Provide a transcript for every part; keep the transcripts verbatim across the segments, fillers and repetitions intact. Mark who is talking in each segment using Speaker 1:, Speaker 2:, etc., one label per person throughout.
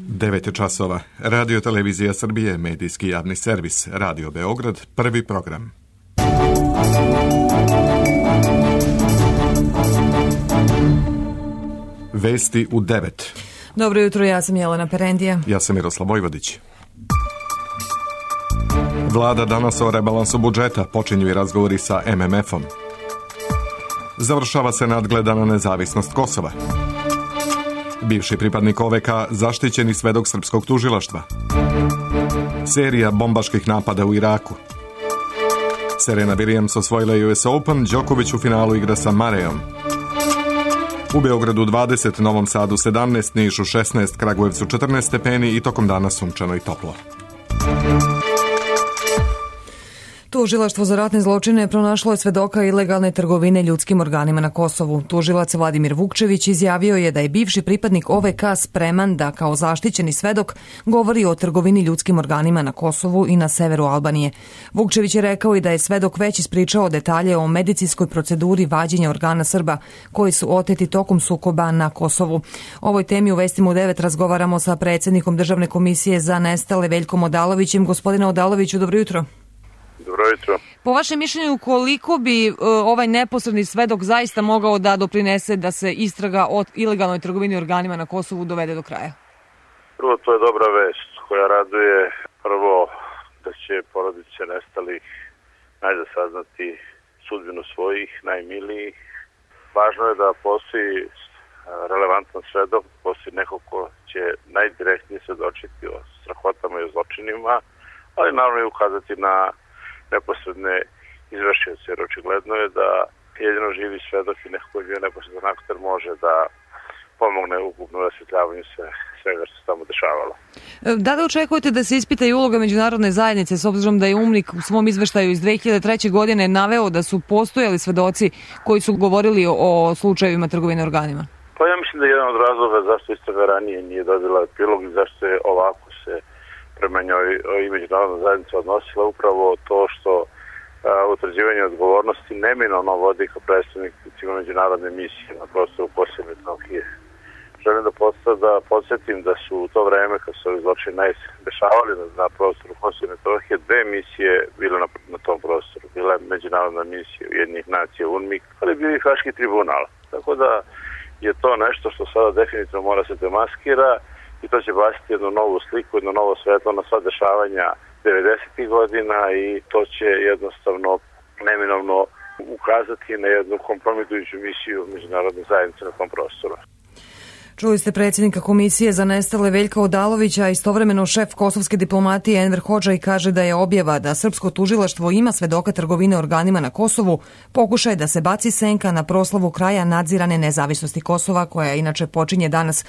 Speaker 1: devet časova. Radio Televizija Srbije, medijski javni servis, Radio Beograd, prvi program. Vesti u devet.
Speaker 2: Dobro jutro, ja sam Jelena Perendija.
Speaker 1: Ja sam Miroslav Vojvodić. Vlada danas o rebalansu budžeta, počinju i razgovori sa em em efom. Završava se nadgledana nezavisnost Kosova. Bivši pripadnik o ve ka zaštićeni svedok srpskog tužilaštva. Serija bombaških napada u Iraku. Serena Williams osvojila ju es Open, Đoković u finalu igra sa Marejom. U Beogradu dvadeset, Novom Sadu sedamnaest, Nišu šesnaest, Kragujevcu četrnaest stepeni i tokom dana sunčano i toplo.
Speaker 2: Tužilaštvo za ratne zločine pronašlo je svedoka ilegalne trgovine ljudskim organima na Kosovu. Tužilac Vladimir Vukčević izjavio je da je bivši pripadnik o ve ka spreman da kao zaštićeni svedok govori o trgovini ljudskim organima na Kosovu i na severu Albanije. Vukčević je rekao i da je svedok već ispričao detalje o medicinskoj proceduri vađenja organa Srba koji su oteti tokom sukoba na Kosovu. O ovoj temi u Vestima u devet razgovaramo sa predsjednikom Državne komisije za nestale Veljkom Odalovićem. Gospodine Odaloviću, dobro jutro.
Speaker 3: Dobro jutro.
Speaker 2: Po vašem mišljenju, koliko bi uh, ovaj neposredni svedok zaista mogao da doprinese da se istraga o ilegalnoj trgovini organima na Kosovu dovede do kraja?
Speaker 3: Prvo, to je dobra vest koja raduje. Prvo, da će porodice nestalih najda saznati sudbinu svojih, najmilijih. Važno je da postoji relevantan svedok, postoji neko ko će najdirektnije svedočiti o strahotama i o zločinima, ali naravno i ukazati na neposredne izvršioce, jer očigledno je da jedino živi svedok i neko koji je bio neposredan aktor može da pomogne u ukupnom rasvetljavanju sve, svega što se tamo dešavalo.
Speaker 2: Da li očekujete da se ispita i uloga međunarodne zajednice, s obzirom da je UNMIK u svom izveštaju iz dve hiljade treće. godine naveo da su postojali svedoci koji su govorili o slučajevima trgovine organima?
Speaker 3: Pa ja mislim da je jedan od razloga zašto istraga ranije nije dobila epilog i zašto je ovako se prema njoj i međunarodna zajednica odnosila upravo to što a, utvrđivanje odgovornosti neminovno vodi kao predstavnicima međunarodne misije na prostoru Kosova i Metohije. Želim da, da podsjetim da su u to vreme kad su ovi zločini najdešavali na, na prostoru Kosova i Metohije dve misije bile na, na tom prostoru. Bila je međunarodna misija Ujedinjenih nacija UNMIK, ali je bio i Haški tribunal. Tako da je to nešto što sada definitivno mora se demaskira i to će baciti jednu novu sliku, jedno novo svetlo na sva dešavanja devedesetih godina i to će jednostavno neminovno ukazati na jednu kompromitujuću misiju međunarodne zajednice na tom prostoru.
Speaker 2: Čuli ste predsjednika Komisije za nestale Veljka Odalovića, a istovremeno šef kosovske diplomatije Enver Hodžaj kaže da je objava da srpsko tužilaštvo ima svedoka trgovine organima na Kosovu pokušaj da se baci senka na proslavu kraja nadzirane nezavisnosti Kosova, koja inače počinje danas.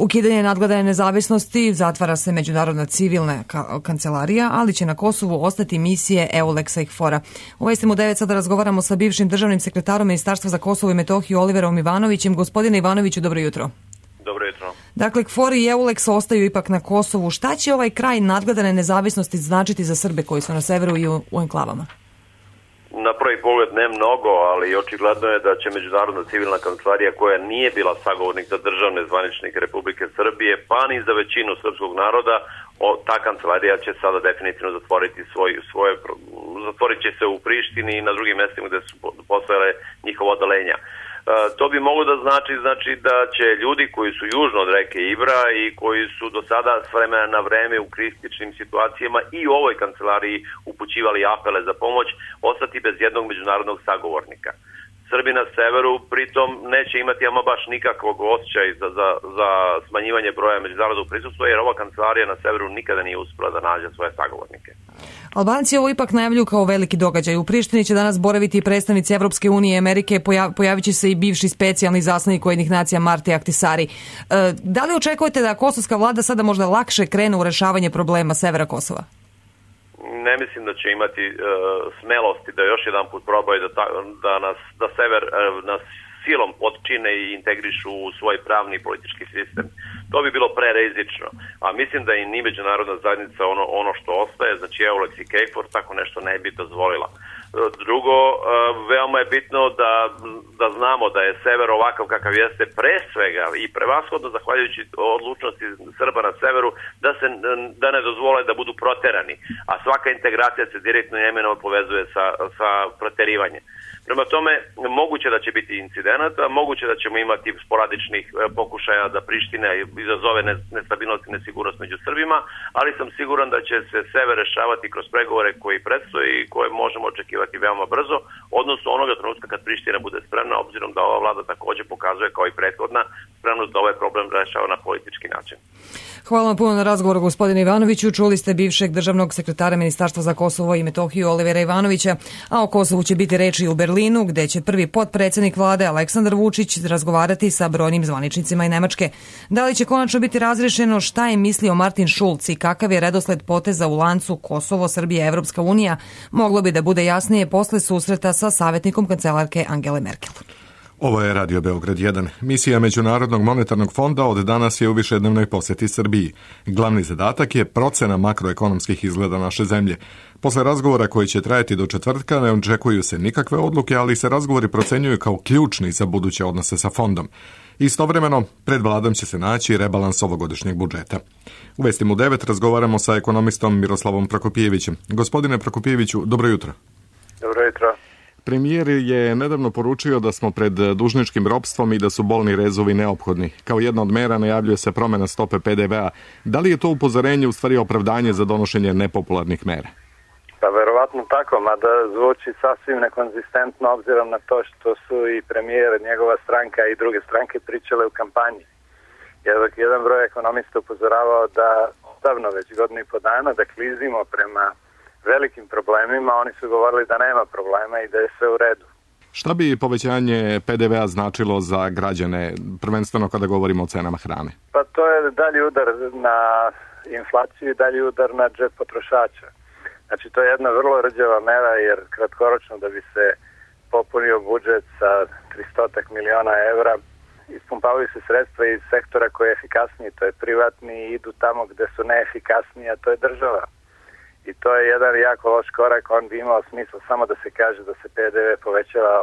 Speaker 2: Ukidanje nadgledane nezavisnosti, zatvara se međunarodna civilna ka- kancelarija, ali će na Kosovu ostati misije EULEX-a i KFOR-a. U Vestima u devet sada razgovaramo sa bivšim državnim sekretarom Ministarstva za Kosovo i Metohiju Oliverom Ivanovićem. Gospodine Ivanoviću, dobro jutro.
Speaker 3: Dobro jutro.
Speaker 2: Dakle, KFOR i EULEX ostaju ipak na Kosovu. Šta će ovaj kraj nadgledane nezavisnosti značiti za Srbe koji su na severu i u, u enklavama?
Speaker 4: Na prvi pogled ne mnogo, ali očigledno je da će Međunarodna civilna kancelarija, koja nije bila sagovornik za državne zvaničnike Republike Srbije, pa ni za većinu srpskog naroda, o, ta kancelarija će sada definitivno zatvoriti svoj, svoje, zatvorit će se u Prištini i na drugim mjestima gde su postojale njihova odalenja. Uh, to bi moglo da znači, znači da će ljudi koji su južno od reke Ibra i koji su do sada s vremena na vreme u kritičnim situacijama i u ovoj kancelariji upućivali apele za pomoć, ostati bez jednog međunarodnog sagovornika. Srbi na severu pritom neće imati ama baš nikakvog osjećaja za, za, za smanjivanje broja međunarodnog prisustva, jer ova kancelarija na severu nikada nije uspela da nađe svoje sagovornike.
Speaker 2: Albanci ovo ipak najavljuju kao veliki događaj. U Prištini će danas boraviti i predstavnici Evropske unije i Amerike, pojav, pojavit će se i bivši specijalni izaslanik Ujedinjenih nacija Marti Ahtisari. E, da li očekujete da kosovska vlada sada možda lakše krene u rešavanje problema severa Kosova?
Speaker 4: Ne mislim da će imati uh, smelosti da još jedan put probaju da, ta, da, nas, da sever uh, nas silom potčine i integrišu u svoj pravni i politički sistem. To bi bilo prerizično. A mislim da i ni međunarodna zajednica ono, ono što ostaje, znači EULEX i KFOR, tako nešto ne bi dozvolila. Drugo, veoma je bitno da, da znamo da je sever ovakav kakav jeste pre svega i prevashodno zahvaljujući odlučnosti Srba na severu da se da ne dozvole da budu proterani, a svaka integracija se direktno i neminovno povezuje sa, sa proterivanjem. Prema tome, moguće da će biti incidenata, moguće da ćemo imati sporadičnih pokušaja da Priština izazove nestabilnost i nesigurnost među Srbima, ali sam siguran da će se sever rešavati kroz pregovore koji predstoji i koje možemo očekivati veoma brzo, odnosno onoga trenutka kad Priština bude spremna, obzirom da ova vlada takođe pokazuje kao i prethodna spremnost da ovaj problem rešava na politički način.
Speaker 2: Hvala vam puno na razgovoru, gospodine Ivanoviću. Čuli ste bivšeg državnog sekretara Ministarstva za Kosovo i Metohiju Olivera Ivanovića, a o Kosovu će biti reči u Berlinu, gde će prvi potpredsednik vlade Aleksandar Vučić razgovarati sa brojnim zvaničnicima i Nemačke. Da li će konačno biti razrešeno šta je mislio Martin Schulz i kakav je redosled poteza u lancu Kosovo, Srbija, Evropska unija, moglo bi da bude jasnije posle susreta sa savjetnikom kancelarke Angele Merkel.
Speaker 1: Ovo je Radio Beograd jedan. Misija Međunarodnog monetarnog fonda od danas je u višednevnoj poseti Srbiji. Glavni zadatak je procena makroekonomskih izgleda naše zemlje. Posle razgovora koji će trajati do četvrtka ne očekuju se nikakve odluke, ali se razgovori procenjuju kao ključni za buduće odnose sa fondom. Istovremeno, pred vladom će se naći rebalans ovogodišnjeg budžeta. U Vestima u devet razgovaramo sa ekonomistom Miroslavom Prokopijevićem. Gospodine Prokopijeviću, dobro jutro.
Speaker 3: Dobro jutro.
Speaker 1: Premijer je nedavno poručio da smo pred dužničkim ropstvom i da su bolni rezovi neophodni. Kao jedna od mera najavljuje se promjena stope pe de ve a. Da li je to upozorenje u stvari opravdanje za donošenje nepopularnih mera?
Speaker 3: Pa verovatno tako, mada zvuči sasvim nekonzistentno obzirom na to što su i premijer, njegova stranka i druge stranke pričale u kampanji. Jer dok jedan broj ekonomista upozoravao da odavno već godinu i po dana da klizimo prema velikim problemima, oni su govorili da nema problema i da je sve u redu.
Speaker 1: Šta bi povećanje pe de ve a značilo za građane, prvenstveno kada govorimo o cenama hrane?
Speaker 3: Pa to je dalji udar na inflaciju i dalji udar na džep potrošača. Znači to je jedna vrlo rđava mera jer kratkoročno da bi se popunio budžet sa tristo miliona evra, ispumpavaju se sredstva iz sektora koji je efikasniji, to je privatni, i idu tamo gde su neefikasniji, a to je država. I to je jedan jako loš korak, on bi imao smisla samo da se kaže da se pe de ve povećava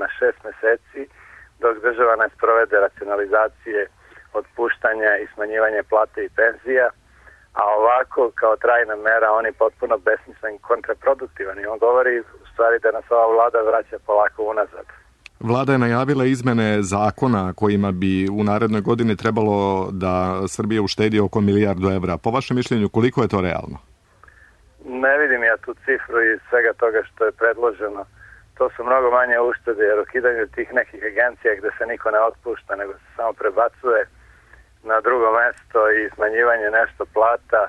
Speaker 3: na šest meseci, dok država ne sprovede racionalizacije, otpuštanja i smanjivanje plate i penzija, a ovako kao trajna mera on je potpuno besmislen i kontraproduktivan i on govori u stvari da nas ova vlada vraća polako unazad.
Speaker 1: Vlada je najavila izmene zakona kojima bi u narednoj godini trebalo da Srbija uštedi oko milijardu evra. Po vašem mišljenju koliko je to realno?
Speaker 3: Ne vidim ja tu cifru iz svega toga što je predloženo. To su mnogo manje uštede jer ukidanje tih nekih agencija gde se niko ne otpušta nego se samo prebacuje na drugo mesto i smanjivanje nešto plata,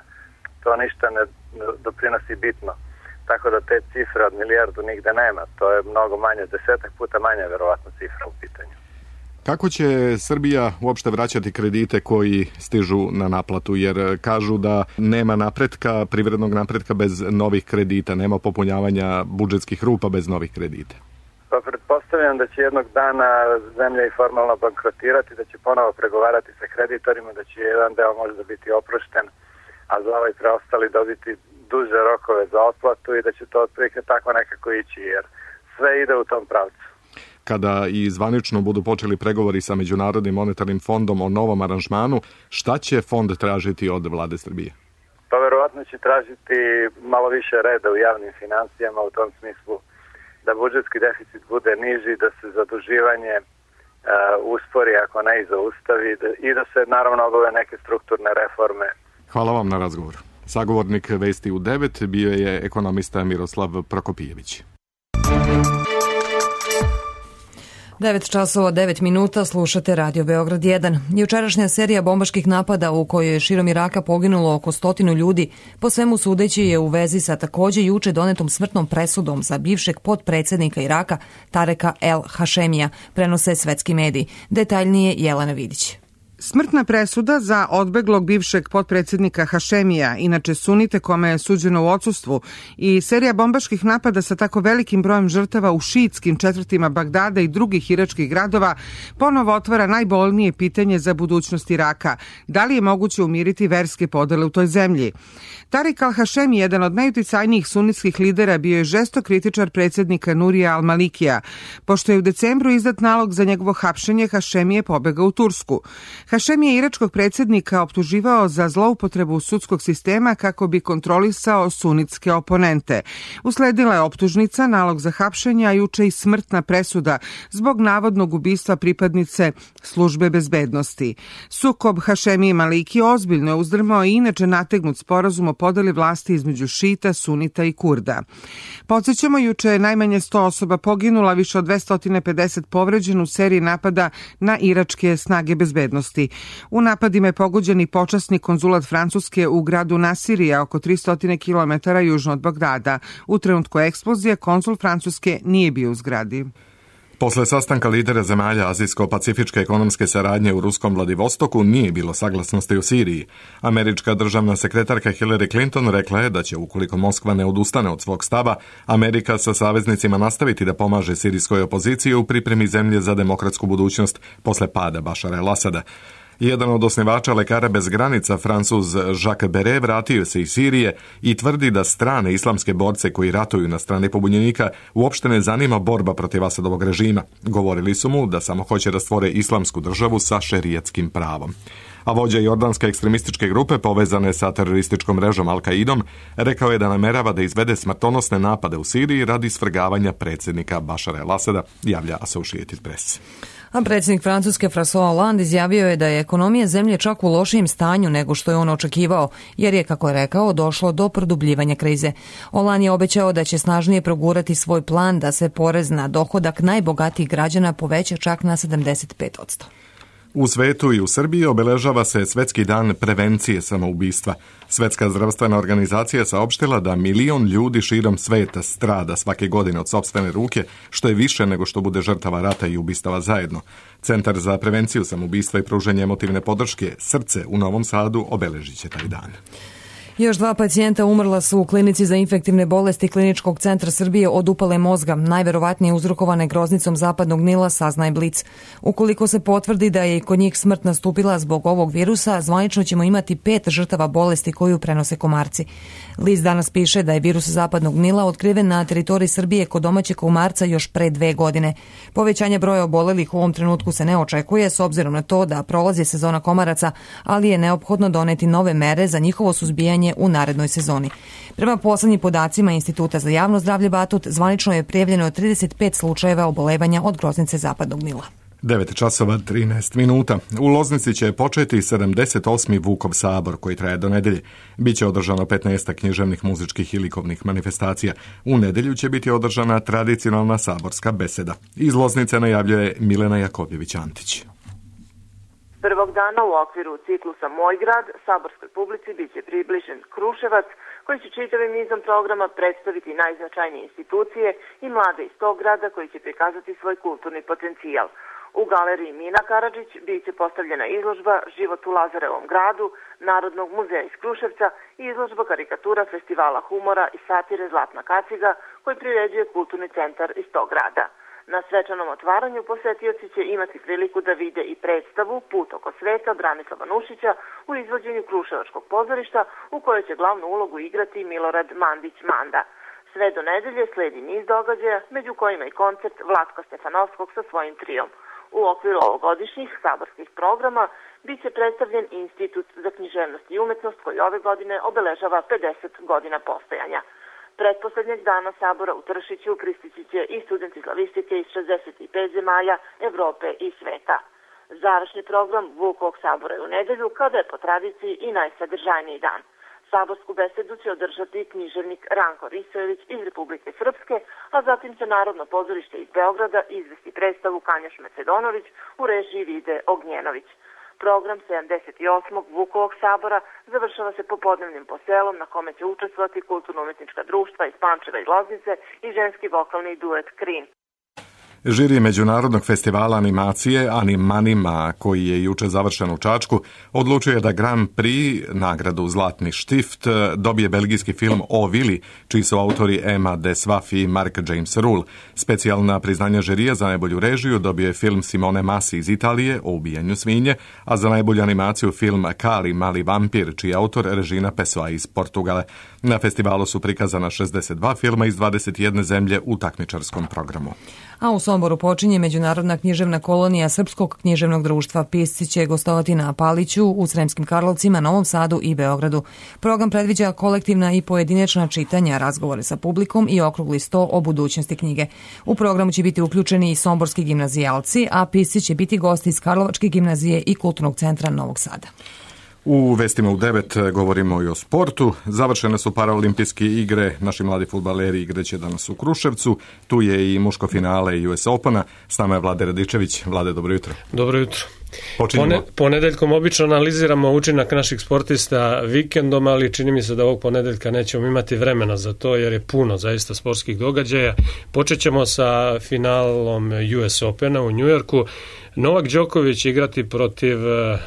Speaker 3: to ništa ne doprinosi bitno. Tako da te cifre od milijardu nigde nema. To je mnogo manje, desetak puta manje verovatno cifra u pitanju.
Speaker 1: Kako će Srbija uopšte vraćati kredite koji stižu na naplatu? Jer kažu da nema napretka, privrednog napretka bez novih kredita, nema popunjavanja budžetskih rupa bez novih kredita.
Speaker 3: Pa pretpostavljam da će jednog dana zemlja i formalno bankrotirati, da će ponovo pregovarati sa kreditorima, da će jedan deo možda biti oprošten, a za ovaj preostali dobiti duže rokove za otplatu i da će to otprilike tako nekako ići, jer sve ide u tom pravcu.
Speaker 1: Kada i zvanično budu počeli pregovori sa Međunarodnim monetarnim fondom o novom aranžmanu, šta će fond tražiti od vlade Srbije?
Speaker 3: Pa verovatno će tražiti malo više reda u javnim financijama u tom smislu da budžetski deficit bude niži, da se zaduživanje uh, uspori ako ne i zaustavi da, i da se naravno obave neke strukturne reforme.
Speaker 1: Hvala vam na razgovor. Sagovornik Vesti u devet bio je ekonomista Miroslav Prokopijević.
Speaker 2: devet časova devet minuta, slušate Radio Beograd jedan. Jučerašnja serija bombaških napada u kojoj je širom Iraka poginulo oko stotinu ljudi, po svemu sudeći je u vezi sa takođe juče donetom smrtnom presudom za bivšeg potpredsednika Iraka Tareka El Hašemija, prenose svetski mediji. Detaljnije Jelena Vidić.
Speaker 5: Smrtna presuda za odbeglog bivšeg potpredsjednika Hašemija, inače sunite kome je suđeno u odsustvu, i serija bombaških napada sa tako velikim brojem žrtava u šiitskim četvrtima Bagdada i drugih iračkih gradova ponovo otvara najbolnije pitanje za budućnost Iraka. Da li je moguće umiriti verske podele u toj zemlji? Tarik al-Hašemi, jedan od najuticajnijih sunnitskih lidera, bio je žestok kritičar predsjednika Nurija al-Malikija. Pošto je u decembru izdat nalog za njegovo hapšenje, Hašemi je pobegao u Tursku. Hašemi je iračkog predsjednika optuživao za zloupotrebu sudskog sistema kako bi kontrolisao sunitske oponente. Usledila je optužnica, nalog za hapšenje, a juče i smrtna presuda zbog navodnog ubistva pripadnice službe bezbednosti. Sukob Hašemi i Maliki ozbiljno je uzdrmao i inače nategnut sporazum o podeli vlasti između šita, sunita i kurda. Podsjećamo, juče je najmanje sto osoba poginula, više od dvesta pedeset povređeno u seriji napada na iračke snage bezbednosti. U napadima je pogođen i počasni konzulat Francuske u gradu Nasirija, oko tristo kilometara južno od Bagdada. U trenutku eksplozije konzul Francuske nije bio u zgradi.
Speaker 1: Posle sastanka lidera zemalja Azijsko-pacifičke ekonomske saradnje u ruskom Vladivostoku nije bilo saglasnosti u Siriji. Američka državna sekretarka Hillary Clinton rekla je da će, ukoliko Moskva ne odustane od svog stava, Amerika sa saveznicima nastaviti da pomaže sirijskoj opoziciji u pripremi zemlje za demokratsku budućnost posle pada Bašara el-Asada. Jedan od osnivača Lekara bez granica, Francuz Jacques Beret, vratio se iz Sirije i tvrdi da strane islamske borce koji ratuju na strani pobunjenika uopšte ne zanima borba protiv Asadovog režima. Govorili su mu da samo hoće da stvore islamsku državu sa šerijatskim pravom. A vođa jordanske ekstremističke grupe povezane sa terorističkom mrežom Al-Qaidom rekao je da namerava da izvede smrtonosne napade u Siriji radi svrgavanja predsjednika Bašara el-Asada, javlja Associated Press.
Speaker 2: A predsjednik Francuske François Hollande izjavio je da je ekonomija zemlje čak u lošijem stanju nego što je on očekivao, jer je, kako je rekao, došlo do produbljivanja krize. Hollande je obećao da će snažnije progurati svoj plan da se porez na dohodak najbogatijih građana poveća čak na sedamdeset pet posto.
Speaker 1: U svetu i u Srbiji obeležava se Svetski dan prevencije samoubistva. Svetska zdravstvena organizacija saopštila da milion ljudi širom sveta strada svake godine od sopstvene ruke, što je više nego što bude žrtava rata i ubistava zajedno. Centar za prevenciju samoubistva i pružanje emotivne podrške Srce u Novom Sadu obeležit će taj dan.
Speaker 2: Još dva pacijenta umrla su u klinici za infektivne bolesti Kliničkog centra Srbije od upale mozga, najverovatnije uzrokovane groznicom zapadnog Nila, saznaje Blic. Ukoliko se potvrdi da je i kod njih smrt nastupila zbog ovog virusa, zvanično ćemo imati pet žrtava bolesti koju prenose komarci. List danas piše da je virus zapadnog Nila otkriven na teritoriji Srbije kod domaćeg komarca još pre dve godine. Povećanje broja obolelih u ovom trenutku se ne očekuje s obzirom na to da prolazi sezona komaraca, ali je neophodno doneti nove mere za njihovo suzbijanje u narednoj sezoni. Prema poslednjim podacima Instituta za javno zdravlje Batut, zvanično je prijavljeno trideset pet slučajeva obolevanja od groznice zapadnog Nila.
Speaker 1: devet časova trinaest minuta. U Loznici će početi sedamdeset osmi Vukov sabor koji traje do nedelje. Biće održano petnaest književnih, muzičkih i likovnih manifestacija. U nedelju će biti održana tradicionalna saborska beseda. Iz Loznice najavljuje Milena Jakovljević-Antić.
Speaker 6: Prvog dana u okviru ciklusa Moj grad saborskoj publici biće približen Kruševac, koji će čitavim nizom programa predstaviti najznačajnije institucije i mlade iz tog grada koji će prikazati svoj kulturni potencijal. U galeriji Mina Karadžić biće postavljena izložba Život u Lazarevom gradu, Narodnog muzeja iz Kruševca i izložba karikatura Festivala humora i satire Zlatna kaciga koji priređuje kulturni centar iz tog grada. Na svečanom otvaranju posetioci će imati priliku da vide i predstavu Put oko sveta Branislava Nušića u izvođenju Kruševačkog pozorišta u kojoj će glavnu ulogu igrati Milorad Mandić-Manda. Sve do nedelje sledi niz događaja, među kojima i koncert Vlatka Stefanovskog sa svojim trijom. U okviru ovogodišnjih saborskih programa biće predstavljen Institut za književnost i umetnost koji ove godine obeležava pedeset godina postojanja. Pretposlednjeg dana sabora u Tršiću pristići će i studenti slavistike iz šezdeset pet zemalja Evrope i sveta. Završni program Vukovog sabora je u nedelju, kada je po tradiciji i najsadržajniji dan. Saborsku besedu će održati književnik Ranko Risojević iz Republike Srpske, a zatim će Narodno pozorište iz Beograda izvesti predstavu Kanjaš Macedonović u režiji Vide Ognjenović. Program sedamdeset osmog Vukovog sabora završava se popodnevnim poselom na kome će učestvovati kulturno-umetnička društva iz Pančeva i Loznice i ženski vokalni duet Krin.
Speaker 1: Žiri Međunarodnog festivala animacije Animanima, koji je juče završen u Čačku, odlučuje da Grand Prix, nagradu Zlatni štift, dobije belgijski film O Vili, čiji su autori Emma Deswaf i Mark James Rule. Specijalna priznanja žirija za najbolju režiju dobio je film Simone Masi iz Italije o ubijanju svinje, a za najbolju animaciju film Kali, mali vampir, čiji je autor Regina Pessoa iz Portugale. Na festivalu su prikazana šezdeset dva filma iz dvadeset jedne zemlje u takmičarskom programu.
Speaker 2: A u Somboru počinje Međunarodna književna kolonija Srpskog književnog društva. Pisci će gostovati na Paliću, u Sremskim Karlovcima, Novom Sadu i Beogradu. Program predviđa kolektivna i pojedinačna čitanja, razgovore sa publikom i okrugli sto o budućnosti knjige. U programu će biti uključeni i somborski gimnazijalci, a pisci će biti gosti iz Karlovačke gimnazije i Kulturnog centra Novog Sada.
Speaker 1: U vestima u devet govorimo i o sportu. Završene su paraolimpijske igre. Naši mladi fudbaleri igraće danas u Kruševcu. Tu je i muško finale U S Opena. S nama je Vlade Radičević. Vlade, dobro jutro.
Speaker 7: Dobro jutro. Pone, ponedeljkom obično analiziramo učinak naših sportista vikendom, ali čini mi se da ovog ponedeljka nećemo imati vremena za to, jer je puno zaista sportskih događaja. Počet ćemo sa finalom U S Opena u Njujorku. Novak Đoković igrati protiv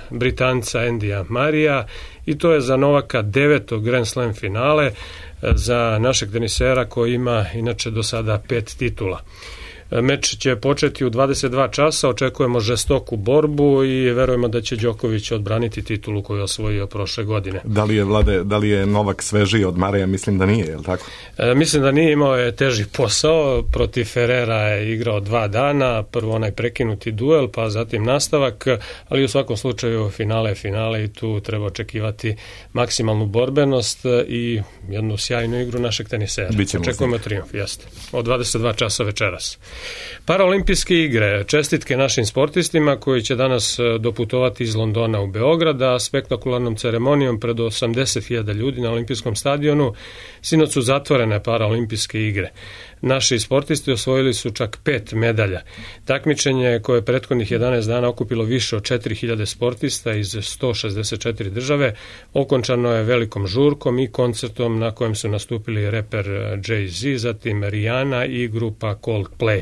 Speaker 7: Britanca Endija Marija i to je za Novaka deveto Grand Slam finale za našeg tenisera koji ima inače do sada pet titula. Meč će početi u dvadeset dva časa, očekujemo žestoku borbu i verujemo da će Đoković odbraniti titulu koju je osvojio prošle godine.
Speaker 1: Da li je, Vlade, da li je Novak svežiji od Mareja? Mislim da nije, je li tako?
Speaker 7: E, mislim da nije, imao je teži posao, protiv Ferrera je igrao dva dana, prvo onaj prekinuti duel, pa zatim nastavak, ali u svakom slučaju finale je finale i tu treba očekivati maksimalnu borbenost i jednu sjajnu igru našeg tenisera. Očekujemo trijumf, jeste. Od dvadeset dva časa večeras. Paraolimpijske igre, čestitke našim sportistima koji će danas doputovati iz Londona u Beograd, a spektakularnom ceremonijom pred osamdeset hiljada ljudi na olimpijskom stadionu sinoć su zatvorene paraolimpijske igre. Naši sportisti osvojili su čak pet medalja. Takmičenje koje je prethodnih jedanaest dana okupilo više od četiri hiljade sportista iz sto šezdeset četiri države, okončano je velikom žurkom i koncertom na kojem su nastupili reper Jay-Z, zatim Rihanna i grupa Coldplay.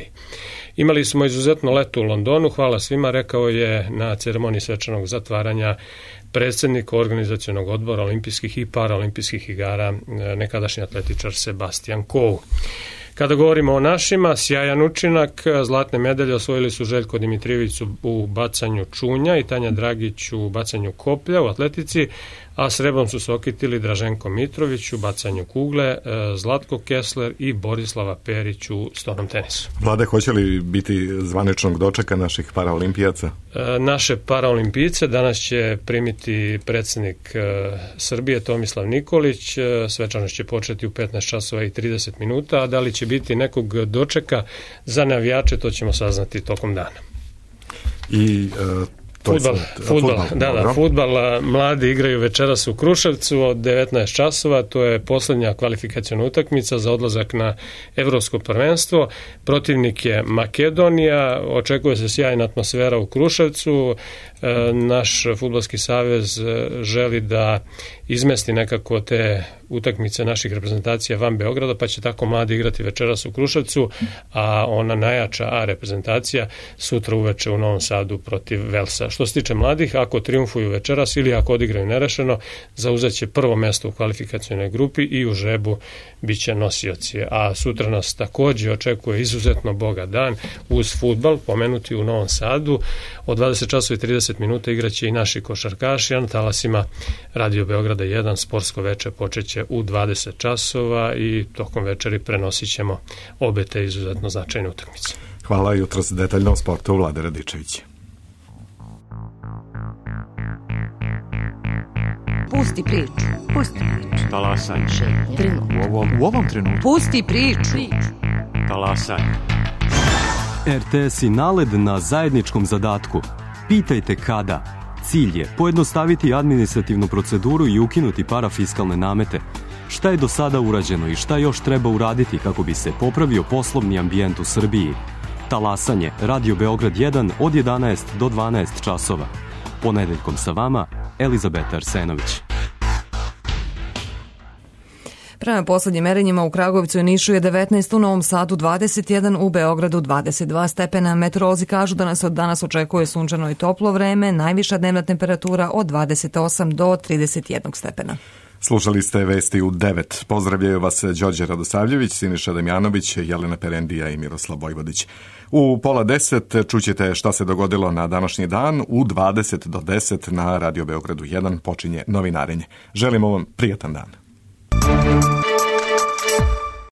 Speaker 7: Imali smo izuzetno leto u Londonu, hvala svima, rekao je na ceremoniji svečanog zatvaranja predsjednik organizacionog odbora olimpijskih i paraolimpijskih igara, nekadašnji atletičar Sebastian Coe. Kada govorimo o našima, sjajan učinak, zlatne medalje osvojili su Željko Dimitrijević u bacanju čunja i Tanja Dragić u bacanju koplja u atletici, a srebrom su se okitili Draženko Mitrović u bacanju kugle, Zlatko Kessler i Borislava Perić u stonom tenisu.
Speaker 1: Vlade, hoće li biti zvaničnog dočeka naših paraolimpijaca?
Speaker 7: Naše paraolimpijice danas će primiti predsjednik Srbije Tomislav Nikolić, svečanost će početi u petnaest časova i trideset minuta, a da li će biti nekog dočeka za navijače, to ćemo saznati tokom dana.
Speaker 1: I... Uh...
Speaker 7: Fudbal, fudbal, da, da, fudbal, mladi igraju večeras u Kruševcu od devetnaest časova, to je posljednja kvalifikaciona utakmica za odlazak na Evropsko prvenstvo. Protivnik je Makedonija, očekuje se sjajna atmosfera u Kruševcu. Naš fudbalski savez želi da izmesti nekako te utakmice naših reprezentacija van Beograda, pa će tako mladi igrati večeras u Kruševcu, a ona najjača A reprezentacija sutra uveče u Novom Sadu protiv Velsa. Što se tiče mladih, ako triumfuju večeras ili ako odigraju nerešeno, zauzet će prvo mesto u kvalifikacionoj grupi i u žrebu bit će nosioci. A sutra nas također očekuje izuzetno bogat dan uz fudbal, pomenuti u Novom Sadu. Od dvadeset časova i trideset minuta igraće i naši košarkaši, a na talasima Radio Beograda jedan sportsko veče počeće u dvadeset časova i tokom večeri prenosit ćemo obe te izuzetno značajne utakmice.
Speaker 1: Hvala, jutros detaljno o sportu Vlade Radičević.
Speaker 8: Pusti priču. Pusti priču.
Speaker 9: Talasaj.
Speaker 8: Trenutno.
Speaker 9: U ovom, u ovom trenutku.
Speaker 8: Pusti priču.
Speaker 9: Talasaj.
Speaker 10: R T S i NALED na zajedničkom zadatku. Pitajte kada. Cilj je pojednostaviti administrativnu proceduru i ukinuti parafiskalne namete. Šta je do sada urađeno i šta još treba uraditi kako bi se popravio poslovni ambijent u Srbiji? Talasanje, Radio Beograd jedan od jedanaest do dvanaest časova. Ponedeljkom sa vama, Elizabeta Arsenović.
Speaker 2: Prema poslednjim merenjima u Kragujevcu i Nišu je devetnaest, u Novom Sadu dvadeset jedan, u Beogradu dvadeset dva stepena. Meteorolozi kažu da nas od danas očekuje sunčano i toplo vreme, najviša dnevna temperatura od dvadeset osam do trideset jedan stepena.
Speaker 1: Slušali ste vesti u devet. Pozdravljaju vas Đorđe Radosavljević, Siniša Damjanović, Jelena Perendija i Miroslav Vojvodić. U pola deset čućete šta se dogodilo na današnji dan. U dvadeset do deset na Radio Beogradu jedan počinje novinarenje. Želimo vam prijatan dan.